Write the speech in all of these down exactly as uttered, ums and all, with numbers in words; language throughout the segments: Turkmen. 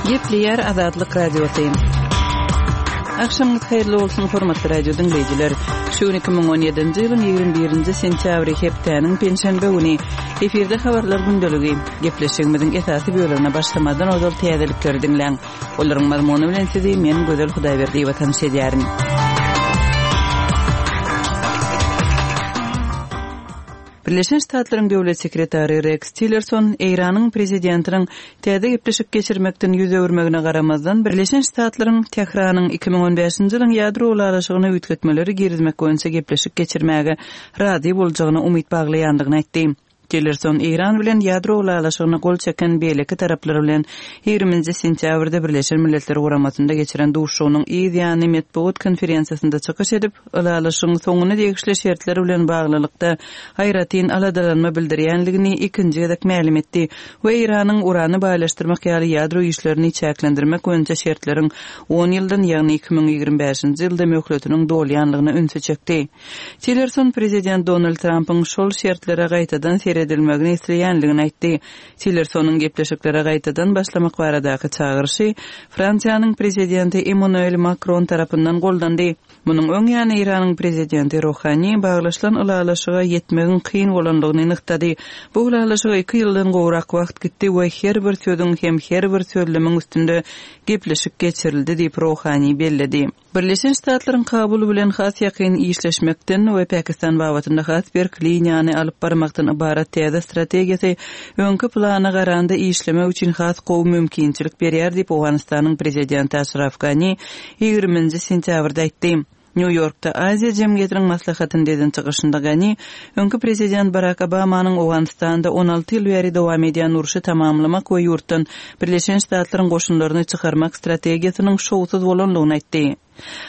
Gepleýär Azatlyk Radiosy. Agşamyňyz haýyrly bolsun, hormatly radio diňleýjiler. Şu gün iki müň on ýedinji ýylyň ýigrimi birinji sentýabry hepdäniň penşenbe güni. Efirde habarlar gündeligi. Gepleşigimiziň esasy bölegine başlamazdan ozal täzelikleri diňläň. Olaryň mazmuny bilen sizi men Gözel Hudaýberdiýewa tanyş edýärin. Birleşen Ştatlaryň Döwlet sekretary Reks Tillerson Eýranyň prezidentiniň täze gepleşik geçirmekden ýüz öwürmegine garamazdan, Birleşen Ştatlaryň Tähranyň iki müň on bäşinji ýylyň ýadro ylalaşygyna üýtgetmeleri girizmek boýunça gepleşik geçirmäge razy boljagyna umyt baglaýandygyny aýtdy. Tillerson Eýran bilen ýadro ylalaşygyna gol çeken beýleki taraplar bilen ýigriminji sentýabrda Birleşen Milletler Guramasynda geçiren duşuşygynyň yz ýany metbugat konferensiýasynda çykyş edip, ylalaşygyň soňuna degişli şertler bilen baglylykda aýratyn aladalanma bildirýänligini ikinji gezek mälim etdi we Eýranyň urany baýlaşdyrmak ýaly ýadro işlerini çäklendirmek boýunça şertleriň on ýyldan, ýagny iki müň ýigrimi bäşinji ýylda möhletiniň dolýanlygyna ünsi çekdi. Tillerson prezident Donald Trampyň şol şertlere gaýtadan seredilmegini isleýänligini aýtdy. Tillersonyň gepleşiklere gaýtadan başlamak baradaky çagyryşy Fransiýanyň prezidenti Emmanuel Makron tarapyndan goldandy. Munuň öň ýany Eýranyň prezidenti Rohani baglaşylan ylalaşyga ýetmegiň kyn bolanlygyny nygtady. Bu ylalaşyga iki ýyldan gowrak wagt gitdi we her bir sözüň hem her bir sözlemiň üstünde gepleşik geçirildi diýip Rohani belledi. Birleşen Ştatlaryň Kabul bilen has ýakyn işleşmekden we Pakistan babatynda has berk liniýany alyp barmakdan ybarat täze strategiýasy öňki plana garanda işlemek üçin has gowy mümkinçilik berýär diýip Owganystanyň prezidenti Aşraf Gani ýigriminji sentýabrda aýtdy. Nýu-Ýorkda Aziýa jemgyýetiniň maslahatynda eden çykyşynda Gani öňki prezident Barack Obamanyň Owganystanda on alty ýyl bäri dowam edýän urşy tamamlamak we ýurtdan Birleşen Ştatlaryň goşunlaryny çykarmak strategiýasynyň şowsuz bolanlygyny aýtdy.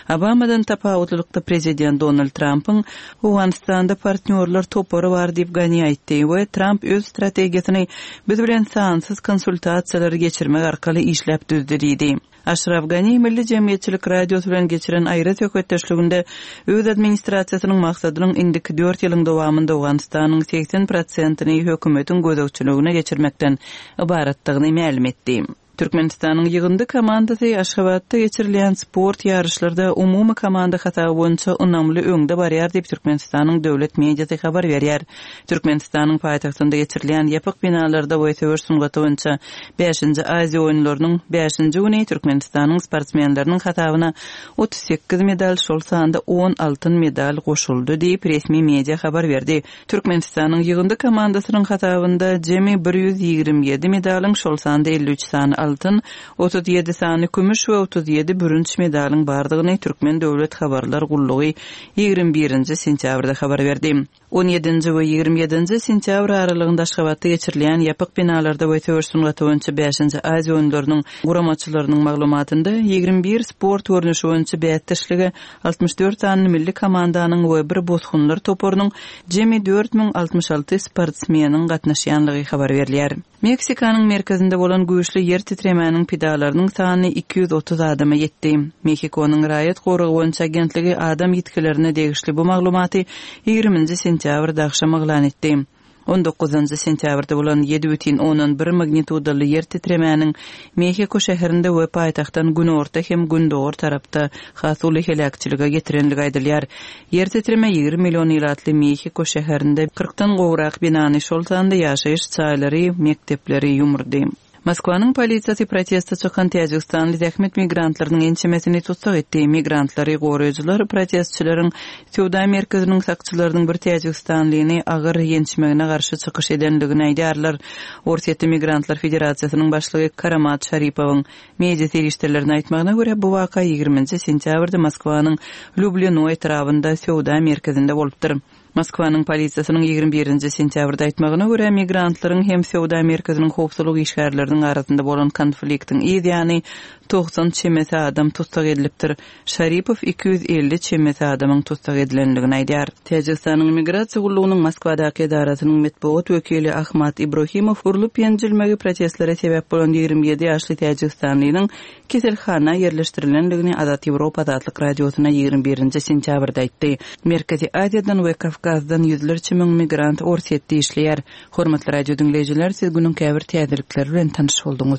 Obamadan tapawutlylykda prezident Donald Trumpyň Owganystanda partnýorlar topary bar diýip Gani aýtdy we Trump öz strategiýasyny biz bilen sansyz konsultasiýalary geçirmek arkaly işläp düzdi diýdi. Aşraf Gani Milli Jemgyýetçilik Radiosy bilen geçiren aýry söhbetdeşliginde öz administrasiýasynyň maksadynyň indiki dört ýylyň dowamynda Owganystanyň seksen prosentini hökümetiň gözegçiligine geçirmekden ybaratdygyny mälim etdi. Türkmenistanyň ýygyndy komandasy Aşgabatda geçirilýän sport ýaryşlarda umumy komanda hasaby boýunça ynamly öňde barýar diýip Türkmenistanyň döwlet mediasy habar berýär. Türkmenistanyň paýtagtynda geçirilýän ýapyk binalarda we söweş sungaty boýunça bäşinji Aziýa oýunlarynyň bäşinji güni Türkmenistanyň sportsmenleriniň hasabyna otuz sekiz medal, şol sanda on altyn medal goşuldy diýip resmi media habar berdi. Türkmenistanyň ýygyndy komandasynyň hasabynda jemi bir ýüz ýigrimi ýedi medalyň, şol sanda elli üç sany altyn, otuz ýedi sany kümüş we otuz ýedi bürünç medalyň bardygyny Türkmen Döwlet Habarlar Gullugy ýigrimi birinji sentýabrda habar berdi. On ýedinji we ýigrimi ýedinji sentýabr aralygynda Aşgabatda geçirilýän ýapyk binalarda we söweş sungaty boýunça bäşinji Aziýa oýunlarynyň guramaçylarynyň maglumatynda ýigrimi bir sport görnüşi boýunça bäsdeşlige altmyş dört sany milli komandanyň we bir bosgunlar toparynyň jemi dört müň altmyş alty sportsmeniň gatnaşýanlygy habar berilýär. Meksikanyň merkezinde bolan güýçli ýer titremäniň pidalarynyň sany iki ýüz otuz adama ýetdi. Mexikonyň raýat goragy boýunça agentligi adam ýitgilerine degişli bu maglumaty ýigriminji sentýabrda agşam yglan etdi. On dokuzynjy sentýabrda bolan ýedi bütin ondan bir magnitudaly ýer titremäniň Mexiko şäherinde we paýtagtdan günorta hem gündogar tarapda has uly heläkçilige getirenligi aýdylýar. Ýer titreme ýigrimi million ilatly Mexiko şäherinde kyrkdan gowrak binany, şol sanda ýaşaýyş jaýlary, mekdepleri ýumurdy. Moskwanyň polisiýasy proteste çykan Täjigistanly zähmet migrantlarynyň ençemesini tussag etdi. Migrantlary goraýjylar protestçileriň söwda merkeziniň sakçylarynyň bir Täjigistanlyny agyr ýençmegine garşy çykyş edenligini aýdýarlar. Orsýetli Migrantlar Federasiýasynyň başlygy Karamat Şaripowyň media serişdelerini aýtmagyna görä bu waka ýigriminji sentýabrda Moskwanyň Lýublino etrabynda söwda merkezinde bolupdyr. Moskwanyň polisiýasynyň ýigrimi birinji sentýabrda aýtmagyna görä migrantlaryň hem söwda merkeziniň howpsuzlyk işgärleriniň arasynda bolan konfliktiň yz ýany togsan çemesi adam tussag edilipdir. Şaripow iki ýüz elli çemesi adamyň tussag edilenligini aýdýar. Täjigistanyň migrasiýa gullugynyň Moskwadaky edarasynyň metbugat wekili Ahmad Ibrohimow urlup ýenjilmegi protestlere sebäp bolan ýigrimi ýedi ýaşly Täjigistanlynyň keselhana ýerleşdirilenligini Azat Ýewropa Azatlyk Radiosyna ýigrimi birinji sentýabrda aýtdy. Merkezi Aziýadan we Kawkazdan ýüzlerçe müň migrant Orsýetde işleýär. Hormatly radio diňleýjiler, siz günüň käbir täzelikleri bilen tanyş bolduňyz.